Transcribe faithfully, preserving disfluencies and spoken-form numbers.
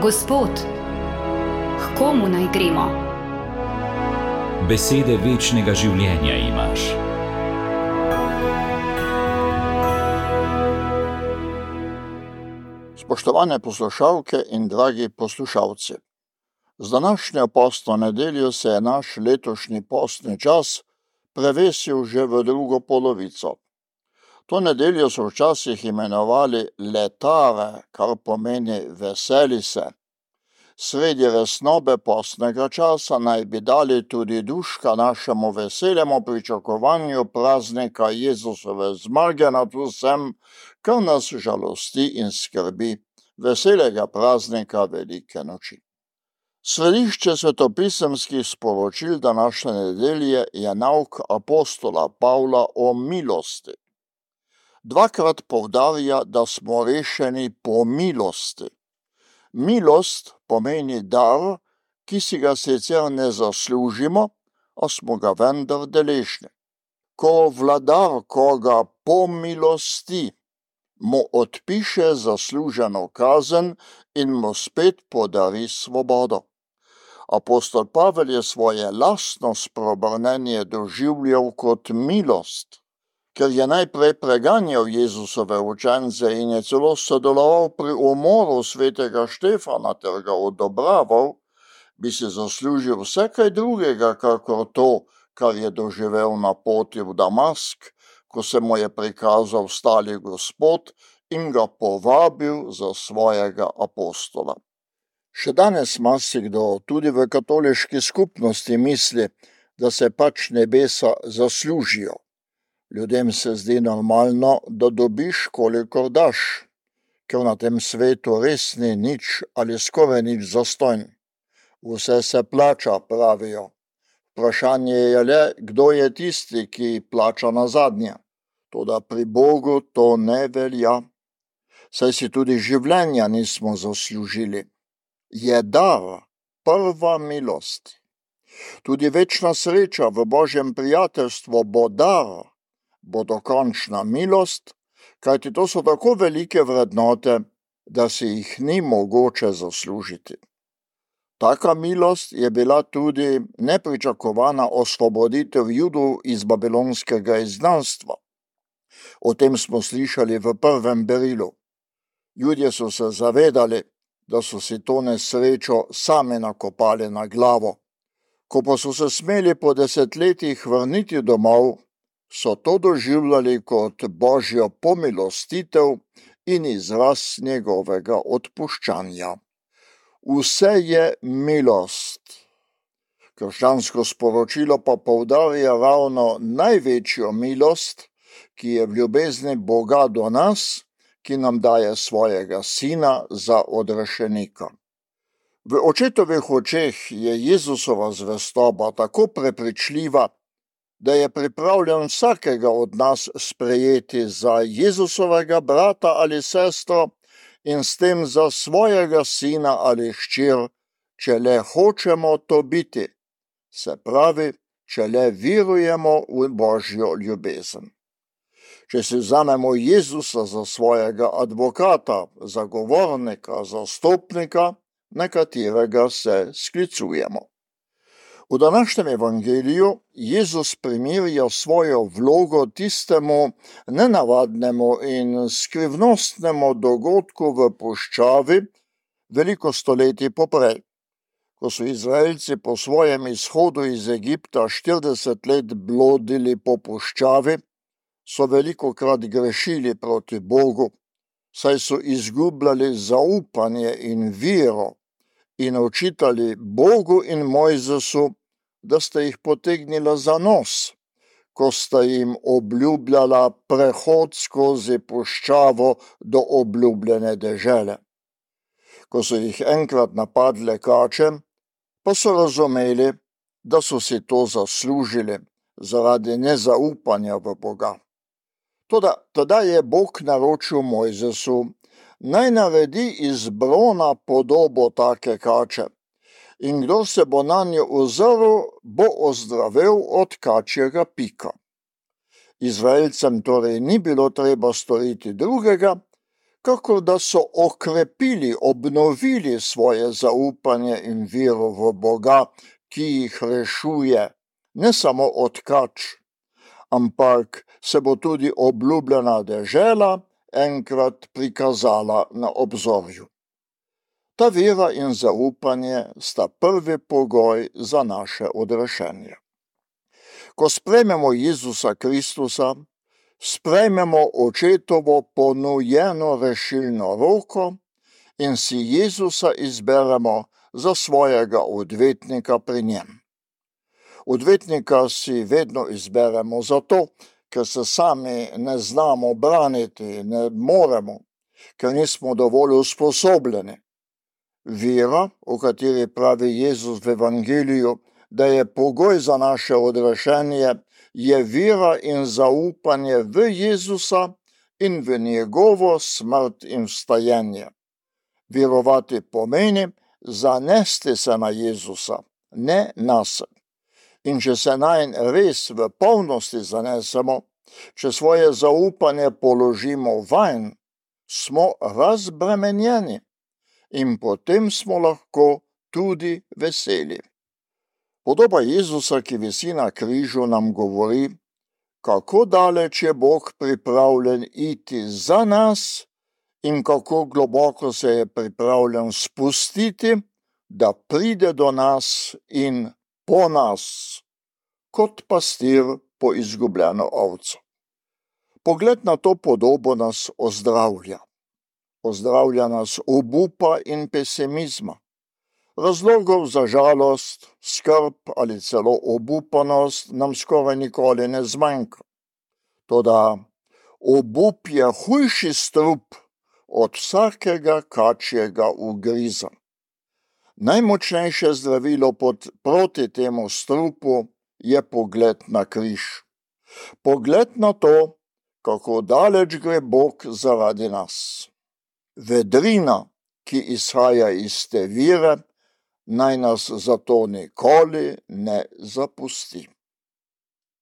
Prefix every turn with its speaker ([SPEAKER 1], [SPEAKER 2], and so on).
[SPEAKER 1] Gospod, k komu naj gremo?
[SPEAKER 2] Besede večnega življenja imaš.
[SPEAKER 3] Spoštovane poslušalke in dragi poslušalci, z današnjo postno nedeljo se je naš letošnji postni čas prevesil že v drugo polovico. To nedeljo so včasih imenovali letare, kar pomeni veseli se. Sredi resnobe postnega časa naj bi dali tudi duška našemu veselemu pričakovanju praznika Jezusove zmage nad vsem, kar nas žalosti in skrbi, veselega praznika velike noči. Središče svetopisemskih sporočil današnje nedelje je nauk apostola Pavla o milosti. Dvakrat poudarja, da smo rešeni po milosti. Milost pomeni dar, ki si ga sicer ne zaslužimo, a smo ga vendar deležni. Ko vladar koga pomilosti, mu odpiše zasluženo kazen in mu spet podari svobodo. Apostol Pavel je svoje lastno spreobrnenje doživljal kot milost, ker je najprej preganjal Jezusove učence in je celo sodeloval pri umoru svetega Štefana ter ga odobraval, bi si zaslužil vse kaj drugega, kakor to, kar je doživel na poti v Damask, ko se mu je prikazal stali Gospod in ga povabil za svojega apostola. Še danes marsikdo, tudi v katoliški skupnosti, misli, da se pač nebesa zaslužijo. Ljudem se zdi normalno, da dobiš, kolikor daš, ker na tem svetu res ni nič ali skoraj nič zastonj. Vse se plača, pravijo. Vprašanje je le, kdo je tisti, ki plača nazadnje. Toda pri Bogu to ne velja, saj si tudi življenja nismo zaslužili. Je dar, prva milost. Tudi večna sreča v Božjem prijateljstvu bo dar, bo dokončna milost, kajti to so tako velike vrednote, da si jih ni mogoče zaslužiti. Taka milost je bila tudi nepričakovana osvoboditev Judov iz babilonskega izgnanstva. O tem smo slišali v prvem berilu. Judje so se zavedali, da so si to nesrečo sami nakopali na glavo. Ko pa so se smeli po desetletjih vrniti domov, so to doživljali kot Božjo pomilostitev in izraz njegovega odpuščanja. Vse je milost. Krščansko sporočilo pa poudarja ravno največjo milost, ki je v ljubezni Boga do nas, ki nam daje svojega sina za odrešenika. V očetovih očeh je Jezusova zvestoba tako prepričljiva, da je pripravljen vsakega od nas sprejeti za Jezusovega brata ali sestro in s tem za svojega sina ali hčer, če le hočemo to biti, se pravi, če le verujemo v Božjo ljubezen. Če si vzamemo Jezusa za svojega advokata, zagovornika, zastopnika, na katerega se sklicujemo. V današnjem evangeliju Jezus primerja svojo vlogo tistemu nenavadnemu in skrivnostnemu dogodku v puščavi veliko stoletij poprej. Ko so Izraelci po svojem izhodu iz Egipta štirideset let blodili po puščavi, so velikokrat grešili proti Bogu, saj so izgubljali zaupanje in vero in očitali Bogu in Mojzesu, da sta jih potegnila za nos, ko sta jim obljubljala prehod skozi puščavo do obljubljene dežele. Ko so jih enkrat napadle kače, pa so razumeli, da so si to zaslužili zaradi nezaupanja v Boga. Toda tada je Bog naročil Mojzesu, naj naredi iz brona podobo take kače, in kdo se bo nanjo ozrl, bo ozdravel od kačjega pika. Izraelcem torej ni bilo treba storiti drugega, kakor da so okrepili, obnovili svoje zaupanje in vero v Boga, ki jih rešuje, ne samo od kač, ampak se bo tudi obljubljena dežela enkrat prikazala na obzorju. Ta vera in zaupanje sta prvi pogoj za naše odrešenje. Ko sprejmemo Jezusa Kristusa, sprejmemo očetovo ponujeno rešilno roko in si Jezusa izberemo za svojega odvetnika pri njem. Odvetnika si vedno izberemo zato, ker se sami ne znamo braniti, ne moremo, ker nismo dovolj usposobljeni. Vera, o kateri pravi Jezus v Evangeliju, da je pogoj za naše odrešenje, je vera in zaupanje v Jezusa in v njegovo smrt in vstajenje. Verovati pomeni zanesti se na Jezusa, ne nase. In če se nanj res v polnosti zanesemo, če svoje zaupanje položimo vanj, smo razbremenjeni in potem smo lahko tudi veseli. Podoba Jezusa, ki visi na križu, nam govori, kako daleč je Bog pripravljen iti za nas in kako globoko se je pripravljen spustiti, da pride do nas in po nas, kot pastir po izgubljeno ovco. Pogled na to podobo nas ozdravlja. Ozdravlja nas obupa in pesimizma. Razlogov za žalost, skrb ali celo obupanost nam skoraj nikoli ne zmanjka. Toda obup je hujši strup od vsakega kačjega ugriza. Najmočnejše zdravilo pod, proti temu strupu je pogled na križ. Pogled na to, kako daleč gre Bog zaradi nas. Vedrina, ki izhaja iz te vire, naj nas zato nikoli ne zapusti.